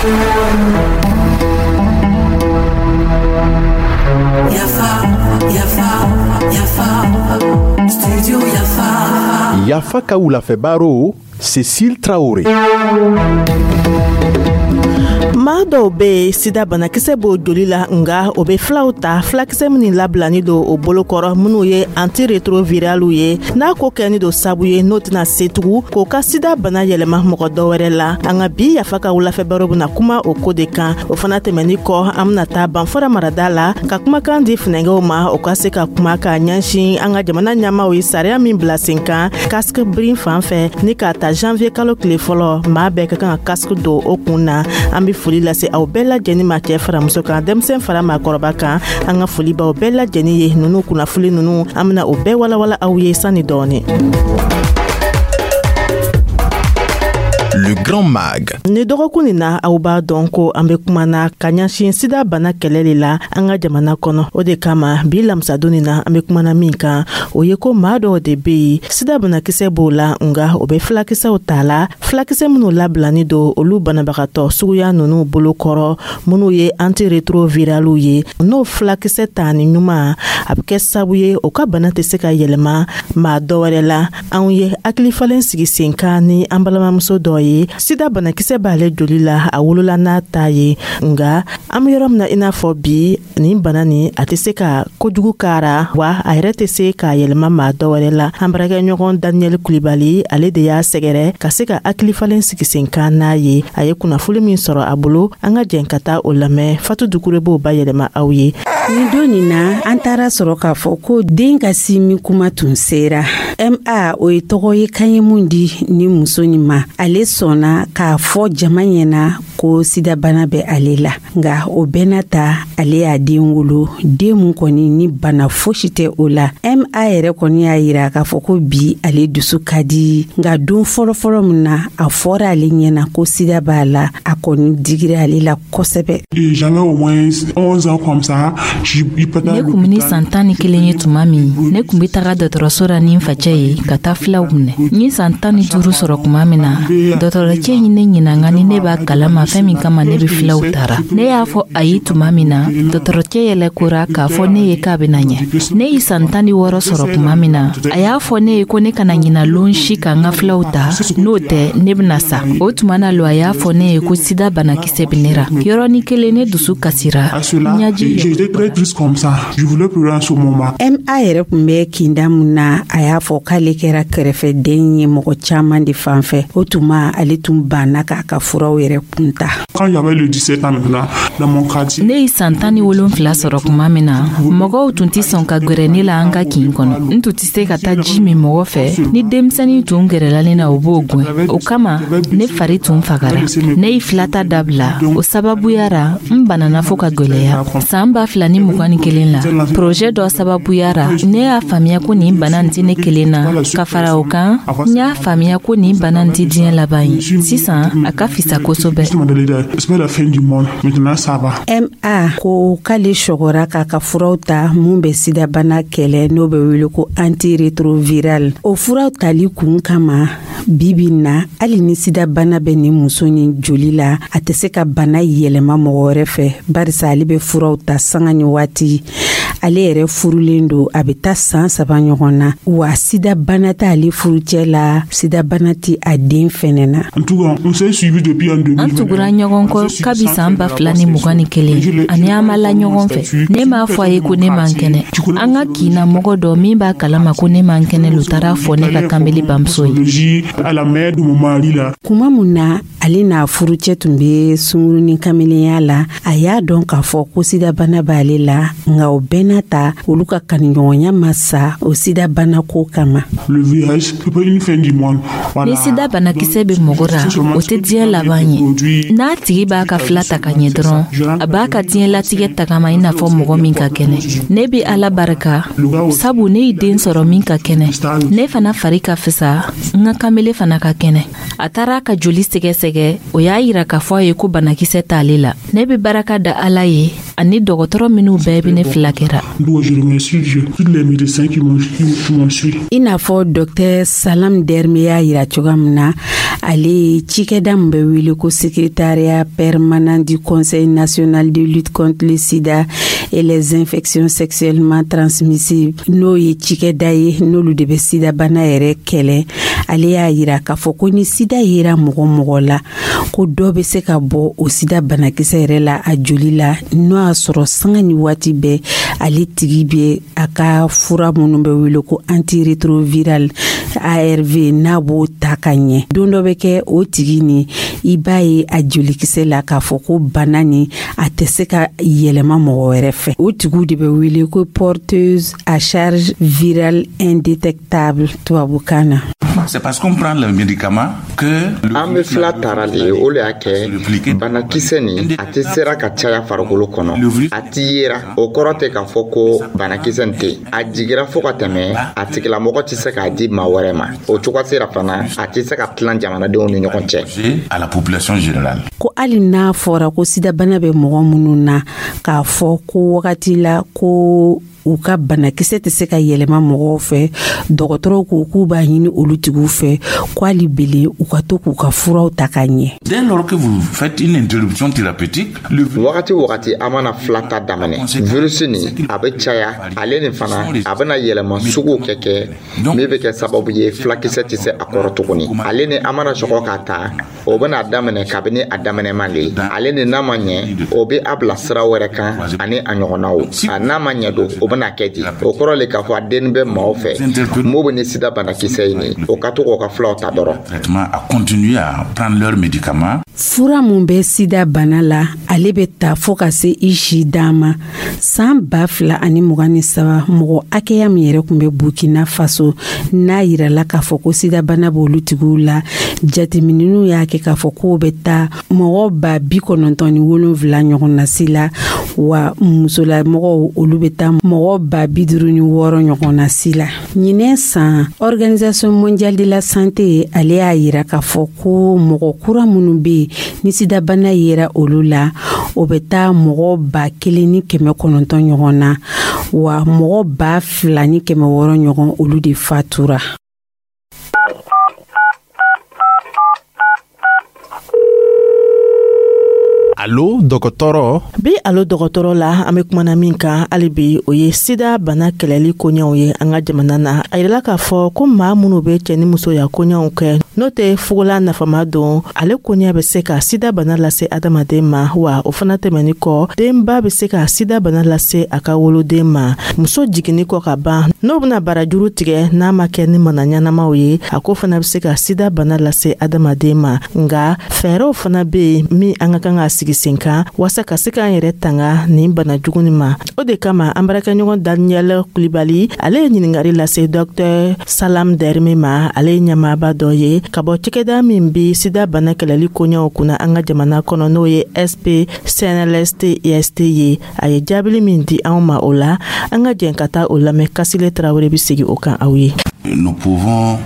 Yafa, Yafa, Yafa, Studio Yafa. Yafa ka wulafɛ baro, Cécile Traoré. Maa dɔw bɛ yen, sida banakisɛ b'o joli la, nga o bɛ filaw ta, filakisɛ minnu labilani don o bolokɔrɔ, minnu ye antiretroviraliw ye, n'a ko kɛni don sabu ye n'o tɛna se tugun k'o ka sida bana yɛlɛma mɔgɔ dɔ wɛrɛ la. An ka bi Yafa ka wulafɛ baro bɛna kuma o ko de kan. O fana tɛmɛni kɔ, an bɛna taa Banfora marada la ka kumakan di funɛngɛw ma, o ka se ka kuma ka ɲɛsin an ka jamana ɲɛmaw ye sariya min bila sen kan casque brun fan fɛ, ni k'a ta janvier kalo tile fɔlɔ, maa bɛɛ ka kan ka casque don o kun na. An be foli lase aw bɛɛ lajɛni ma, cɛɛ fara muso kan, denmisɛn fara maakɔrɔba kan. An ka foli b'aw bɛɛ lajɛni ye. Nunu kunnafoli nunu, an bena o bɛɛ walawala aw ye sanni dɔɔni. Le Grand Mag. Ni dɔgɔkun nin na, aw b'a dɔn ko an be kumana ka ɲɛsin sida bana kɛlɛ le la an ka jamana kɔnɔ. O de kama, bi lamisadon nin na, an be kumana min kan, o ye ko maa dɔw de be yen, sida banakisɛ b'o la, nga o be filakisɛw ta la, filakisɛ minw labilani don olu banabagatɔ suguya nunu bolo kɔrɔ, minw ye antiretroviraliw ye. N'o filakisɛ ta ni ɲuman, a be kɛ sabu ye o ka bana tɛ se ka yɛlɛma maa dɔ wɛrɛ la. Anw ye hakilifalen sigi sen kan ni an balimamuso dɔ ye, sida banakisɛ b'ale joli la, a wolola n'a ta ye, nga an be yɔrɔ min na i n'a fɔ bi, nin bana nin a tɛ se ka kojugu kara wa a yɛrɛ tɛ se k'a yɛlɛma maa dɔ wɛrɛ la. An baarakɛɲɔgɔn Daniyɛli Kulibali, ale de y'a sɛgɛrɛ ka se ka hakilifalen sigi sen kan n'a ye. A ye kunnafoli min sɔrɔ a bolo, an ka jɛn ka taa o lamɛn. Fatu Dukure b'o bayɛlɛma aw ye. Nin don nin na, an taara sɔrɔ k'a fɔ ko den ka simi kuma tun sera. Ma, o ye tɔgɔ ye kan ye mun di ni muso nin ma. Ale sɔnna k'a fɔ jama ɲɛna ko sidabana bɛ ale la, nka o bɛɛ n'a ta, ale y'a den wolo, den mun kɔni ni bana fosi tɛ o la. Ma yɛrɛ kɔni y'a yira k'a fɔ ko bi ale dusu ka di, nka don fɔlɔfɔlɔ min na a fɔra ale ɲɛna ko sida b'a la, a kɔni digira ale la kosɛbɛ. Ne kun ni san 11 ye tuma min, ne kun be taga dɔgɔtɔrɔso la ni n facɛ ye ka taa filaw minɛ. N ye san 15 sɔrɔ tuma min na, dɔgɔtɔrɔcɛ ye ne ɲininka ni ne b'a kalama fɛn min kama ne be filaw tara. Ne y'a fɔ ayi tuma min na, dɔgɔtɔrɔcɛ yɛlɛkora k'a fɔ ne ye k'a bena ɲɛ. Ne ye san 16 sɔrɔ tuma min na, a y'a fɔ ne ye ko ne kana ɲina lon si ka n ka filaw ta, n'o tɛ ne bena sa. O tuma na lo, a y'a fɔ ne ye ko sida banakisɛ be ne ra. Yɔrɔnin kelen, ne dusu kasira, ɲaji. Ma yɛrɛ kun bɛ kinda mun na, a y'a fɔ k'ale kɛra kɛrɛfɛden ye mɔgɔ caman de fan fɛ. O tuma ale tun banna k'a ka furaw yɛrɛ kun ta. Ne ye san 17 sɔrɔ tuma min na, mɔgɔw tun tɛ sɔn ka gwɛrɛ ne la an ka kin kɔnɔ. N tun tɛ se ka taa ji min mɔgɔ fɛ. Ni denmisɛnnin tun gɛrɛla ne na, o b'o gwɛn. O kama, ne fari tun fagara. Ne ye filata dabila. O sababuya ra, n banana fo ka gwɛlɛya. San 2021 la, projet dɔ sababuya ra, ne y'a faamuya ko nin bana nin tɛ ne kelen na. Ka fara o kan, n y'a faamuya ko nin bana nin tɛ diɲɛ laban ye. Sisan a ka fisa kosɛbɛ. Ma ko k'ale sɔgɔra k'a ka furaw ta mun bɛ sidabana kɛlɛ, n'o bɛ wele ko antiretroviral. O furaw tali kun kama, bibi na, hali ni sidabana bɛ nin muso nin joli la, a tɛ se ka bana yɛlɛma mɔgɔ wɛrɛ fɛ, barisa ale bɛ furaw ta sanga ni waati. Ale yɛrɛ furulen don, a bɛ taa san 3 ɲɔgɔn na, wa sidabana t'ale furucɛ la, sidabana tɛ a den fɛnɛ na. An tugura ɲɔgɔn kɔ kabi san 2021, ani an ma la ɲɔgɔn fɛ. Ne m'a fɔ a ye ko ne man kɛnɛ. An ka kinna mɔgɔ dɔ min b'a kalama ko ne man kɛnɛ lo taara fɔ ne ka kanbele bamuso ye. Kuma mun na ale n'a furucɛ tun bɛ sunkurunin kamelenya la, a y'a dɔn k'a fɔ ko sidabana b'ale la, nka o bɛɛ n'a ta, olu ka kanuɲɔgɔnya ma sa o sidabana ko kama. Ni sida banakisɛ bɛ mɔgɔ ra, o tɛ diɲɛ laban ye. N'a tigi b'a ka fila ta ka ɲɛ dɔrɔn, a b'a ka diɲɛlatigɛ tagama i n'a fɔ mɔgɔ min ka kɛnɛ. Ne bɛ Ala barika, sabu ne ye den sɔrɔ min ka kɛnɛ. Ne fana fari ka fisa, n ka kanbele fana ka kɛnɛ. A taara ka joli sɛgɛsɛgɛ, o y'a yira k'a fɔ a ye ko banakisɛ t'ale la. Ne bɛ baraka da Ala ye. ani dɔgɔtɔrɔ minnu bɛɛ bɛ ne filakɛra. I n'a fɔ Dr Salam Derme y'a yira cogoya min na, ale ye cikɛda min bɛ wele ko Secrétariat permanent du Conseil national de lutte contre le sida et les infections sexuellement transmissibles, n'o ye cikɛda ye n'olu de bɛ sidabana yɛrɛ kɛlɛ. Ale y'a yira k'a fɔ ko ni sida yera mɔgɔ mɔgɔ la, ko dɔ bɛ se ka bɔ o sida banakisɛ yɛrɛ la a joli la, n'o y'a sɔrɔ sanga ni waati bɛɛ ale tigi bɛ a ka fura minnu bɛ wele ko antirétroviral, ARV, n'a b'o ta ka ɲɛ. Don dɔ bɛ kɛ o tigi ni i b'a ye a jolikisɛ la k'a fɔ ko bana ni a tɛ se ka yɛlɛma mɔgɔ wɛrɛ fɛ. O tigiw de bɛ wele ko porteuse à charge virale indétectable tubabukan na. C'est parce qu'on prend le médicament que An bɛ fila tara de ye, o le y'a kɛ banakisɛ nin a tɛ sera ka caya farikolo kɔnɔ. A ti yera, o kɔrɔ tɛ k'a fɔ ko banakisɛ nin tɛ yen. A jigira fo ka tɛmɛ, a tigilamɔgɔ tɛ se k'a di maa wɛrɛ ma. O cogo sera fana, a tɛ se ka tilan jamanadenw ni ɲɔgɔn cɛ. à la population générale. Ko hali n'a fɔra ko sidabana bɛ mɔgɔ minnu na, k'a fɔ ko wagati la ko u ka banakisɛ tɛ se ka yɛlɛma mɔgɔw fɛ, dɔgɔtɔrɔw ko k'u b'a ɲini olu tigiw fɛ ko hali bele u ka to k'u ka furaw ta ka ɲɛ. Dès lors que vous faites une interruption thérapeutique, le Wagati wagati an mana fila ta daminɛ, virusi nin a bɛ caya. Ale nin fana a bɛna yɛlɛma suguw kɛ min bɛ kɛ sababu ye filakisɛ tɛ se a kɔrɔ tuguni. Ale ni an mana sɔgɔ k'a ta, o bɛna daminɛ kabini a daminɛman le ye. Ale ni n'a ma ɲɛ, o bɛ a bila sira wɛrɛ kan ani a ɲɔgɔnnaw. A n'a ma ɲɛ don, o bɛna kɛ di? O kɔrɔ le k'a fɔ a denni bɛ maaw fɛ mun bɛ ni sida banakisɛ ye nin, o ka to k'o ka filaw ta dɔrɔn. traitement à continuer à prendre leurs médicaments. Fura mun bɛ sida bana la, ale bɛ ta fɔɔ ka se i si dan ma. San 2023, mɔgɔ hakɛya min yɛrɛ kun bɛ Burkina Faso n'a yirala k'a fɔ ko sidabana b'olu tigiw la, jateminɛw y'a kɛ k'a fɔ k'o bɛ taa mɔgɔ 97 000 ɲɔgɔn na si la, wa musolamɔgɔw olu bɛ taa mɔgɔ 56 000 ɲɔgɔn na si la. Ɲinɛ san, Organisation mondiale de la santé ale y'a yira k'a fɔ ko mɔgɔ kura minnu bɛ yen ni sidabana yera olu la, o bɛ taa mɔgɔ 1,900 ɲɔgɔn na, wa mɔgɔ 2,600 ɲɔgɔn olu de fatura. Alo dɔgɔtɔrɔ. Bi Alo dɔgɔtɔrɔ la, an be kumana min kan hali bi, o ye sida bana kɛlɛli koɲɛw ye an ka jamana na. A yirala k'a fɔ ko maa minnu be cɛɛ ni musoya koɲɛw kɛ n'o tɛ fugola nafama don, ale koɲɛ bɛ se ka sida bana lase adamaden ma. Wa o fana tɛmɛni kɔ, denba bɛ se ka sida bana lase a ka woloden ma. Muso jiginni kɔ ka ban, n'o bena barajuru tigɛ, n'a ma kɛ ni mana ɲɛnamaw ye, a ko fana bɛ se ka sida bana lase adamaden ma. Nga fɛɛrɛw fana be yen min an ka kan ka sigi sen kan waasa ka se k'an yɛrɛ tanga nin bana jugu nin ma. O de kama an baarakɛɲɔgɔn Daniel Kulibali ale ye ɲiningari lase Dr Salam Dɛrime ma. Ale ye ɲɛmaaba dɔ ye ka bɔ cakɛda min bi sida bana kɛlɛli koɲɛw kunna an ka jamana kɔnɔ, n'o ye SP CNLST IST ye. A ye jaabili min di anw ma o la, an ka jɛn ka taa o lamɛn. Kasile Tarawele bi segi o kan aw ye. Nous pouvons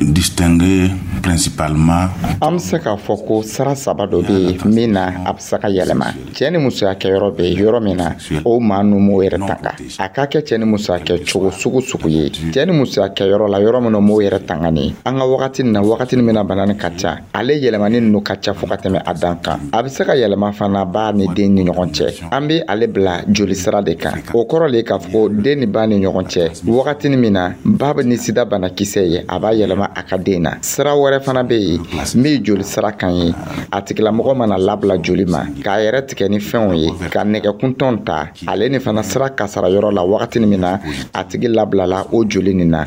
distinguer principalement An bɛ se k'a fɔ ko sira saba dɔ bɛ yen min na a bɛ se ka yɛlɛma. Cɛ ni musoya kɛyɔrɔ bɛ yɔrɔ min na, o maa ninnu m'o yɛrɛ tanga, a ka kɛ cɛ ni musoya kɛ cogo sugu sugu ye cɛ ni musoya kɛyɔrɔ la, yɔrɔ min na m'o yɛrɛ tanga nin. An ka wagati nin na, wagati min na bana nin ka ca, ale yɛlɛmani ninnu ka ca fo ka tɛmɛ a dan kan. A bɛ se ka yɛlɛma fana ba ni den ni ɲɔgɔn cɛ. An bɛ ale bila joli sira de kan. O kɔrɔ le k'a fɔ ko den ni ba ni ɲɔgɔn cɛ, wagati min na ba bɛ ni sida banakisɛ ye, a b'a yɛlɛma a ka den na. Sira wɛrɛ fana bɛ yen min ye joli sira kan ye. A tigilamɔgɔ mana labila joli ma k'a yɛrɛ tigɛ ni fɛnw ye, ka nɛgɛkuntanw ta, ale ni fana sira kasara yɔrɔ la, wagati min na a tigi labilala o joli nin na.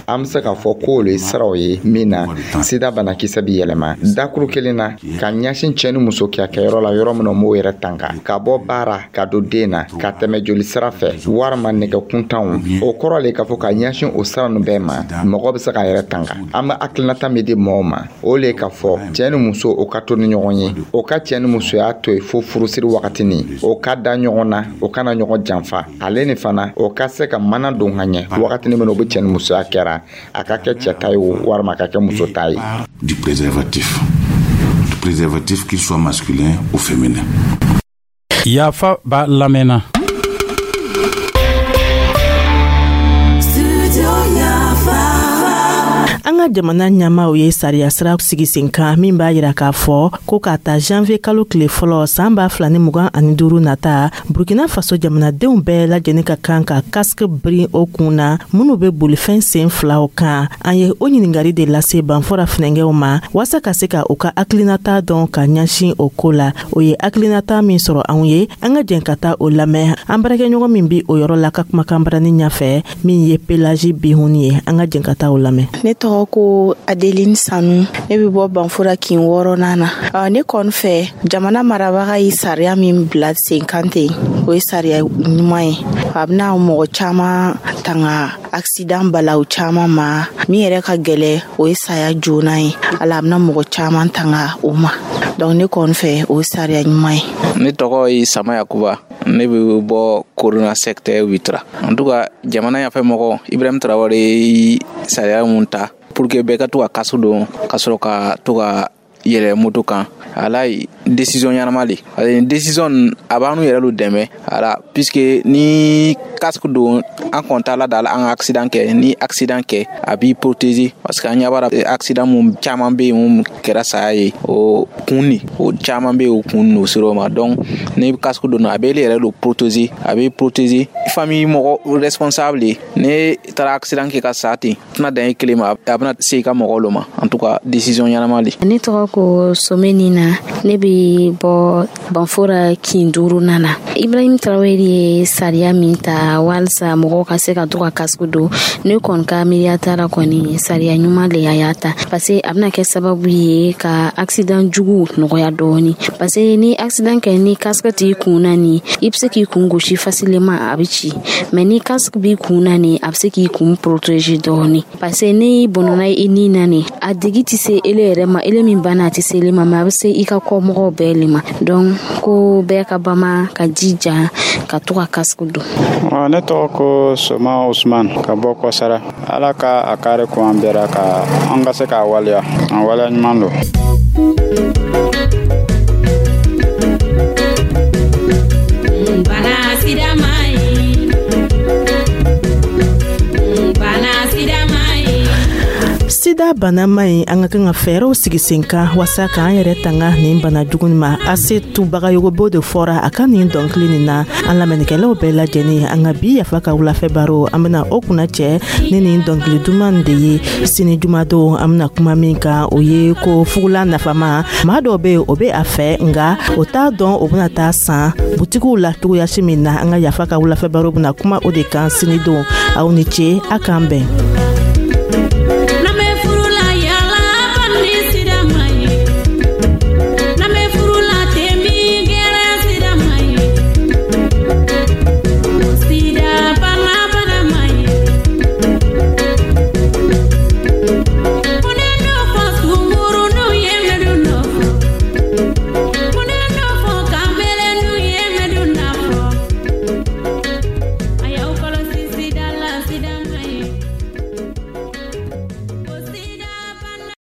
An bɛ se k'a fɔ k'olu ye siraw ye min na sida banakisɛ bɛ yɛlɛma dakuru kelen na ka ɲɛsin cɛ ni muso kɛyɔrɔ la, yɔrɔ min na m'o yɛrɛ tanga, ka bɔ baara ka don den na, ka tɛmɛ joli sira fɛ walima nɛgɛkuntanw. O kɔrɔ le k'a fɔ ka ɲɛsin o sira ninnu bɛɛ ma, mɔgɔ bɛ se k'a yɛrɛ tanga. An bɛ hakilinata min di mɔgɔw ma, o le k'a fɔ cɛ ni muso o ka to ni ɲɔgɔn ye, o ka cɛ ni musoya to yen fo furusiri wagatinin, o ka da ɲɔgɔn na, o kana ɲɔgɔn janfa. Ale ni fana o ka se ka mana don ka ɲɛ wagatinin min na o bɛ cɛ ni musoya kɛra, a ka kɛ cɛ ta ye o walima a ka kɛ muso ta ye. Du préservatif. Du préservatif, qu'il soit masculin ou féminin. Yafa b'a lamɛnna. Studio Yafa. An ka jamana ɲɛmaaw ye sariya sira sigi sen kan min b'a yira k'a fɔ ko k'a ta janvier kalo tile fɔlɔ san 2025 nata, Burkina Faso jamanadenw bɛɛ lajɛlen ka kan ka casque biri o kun na minnu bɛ bolifɛn sen filaw kan. An ye o ɲininkali de lase Banfora funɛngɛw ma waasa ka se ka u ka hakilinata dɔn ka ɲɛsin o ko la. O ye hakilinata min sɔrɔ anw ye, an ka jɛn ka taa o lamɛn an baarakɛɲɔgɔn min bi o yɔrɔ la ka kumakan barani ɲɛfɛ, min ye Pelagie Bihuni ye. An ka jɛn ka taa o lamɛn. Ne tɔgɔ ko Adeline Sanu, ne bɛ bɔ Banfora kin wɔɔrɔnan na. Ne kɔni fɛ, jamana marabaga ye sariya min bila sen kan ten, o ye sariya ɲuman ye. A bɛna mɔgɔ caman tanga accident balawu caman ma. Min yɛrɛ ka gɛlɛ, o ye saya joona ye. Ala, a bɛna mɔgɔ caman tanga o ma. Donc ne kɔni fɛ, o ye sariya ɲuman ye. Ne tɔgɔ ye Sama Yakuba, ne bɛ bɔ Korona secteur 8 la. En tout cas, jamana ɲɛfɛ mɔgɔ Ibrahim Traoré ye sariya mun ta pour que bɛɛ ka to ka casque don ka sɔrɔ ka to ka yɛlɛ moto kan, ala ye décision ɲɛnama le, parce que décision a b'an yɛrɛ lu dɛmɛ ala, puisque ni casque don, an kɔn t'a la da an ka accident kɛ. Ni accident kɛ, a b'i protéger, parce que an ɲɛ b'a la, accident mun caman bɛ yen mun kɛra saya ye, o kun ni o caman bɛ yen, o kun n'o sera o ma. Donc ni casque don, a bɛ e yɛrɛ lo protéger, a b'i protéger famille mɔgɔ responsable ye. Ne taara accident kɛ ka sa ten, tɛna dan e kelen ma, a bɛna se i ka mɔgɔw lo ma. En tout cas, décision ɲɛnama le. Ne tɔgɔ ko Someni na, ne bɛ bɔ Banfora kin duurunan na. Ibrahim Traoré ye sariya min ta walisa mɔgɔw ka se ka to ka casque don, ne kɔni ka miiriya ta la kɔni, sariya ɲuman le a y'a ta, parce que a bɛna kɛ sababu ye ka accident jugu nɔgɔya dɔɔni, parce que ni accident kɛ, ni casque t'i kun na ni, i bɛ se k'i kun gosi facilement, a bɛ ci. Mais ni casque b'i kun na ni, a bɛ se k'i kun protéger dɔɔni, parce que n'i bɔnɔna i ni na ni, a degi tɛ se ele yɛrɛ ma, ele min banna, a tɛ se ele ma, mais a bɛ se i ka kɔmɔgɔw bɛɛ le ma. Donc ko bɛɛ ka bama ka jija ka to ka casque don. Ne tɔgɔ ko Soma Usman ka bɔ Kɔsara. Ala ka a kari ko an bɛra ka an ka se k'a waleya, an waleya ɲuman don. Bana sida man ɲi. Bana sida man ɲi. Sida bana man ɲi. An ka kan ka fɛɛrɛw sigi sen kan waasa k'an yɛrɛ tanga nin bana jugu ma. Ase Tubagayogo de fɔra a ka nin dɔnkili nin na. An lamɛnnikɛlaw bɛɛ lajɛlen, an ka bi Yafa ka wulafɛ baro, an bena o kunna cɛ ni nin dɔnkili duman de ye. Sini jumadon, an bena kuma min kan, o ye ko fugula nafama. Maa dɔw be o be a fɛ, nga o t'a dɔn o bena taa san butigiw la cogoyasi min na. An ka Yafa ka wulafɛ baro bena kuma o de kan sini don. Aw ni ce, a k'an bɛn.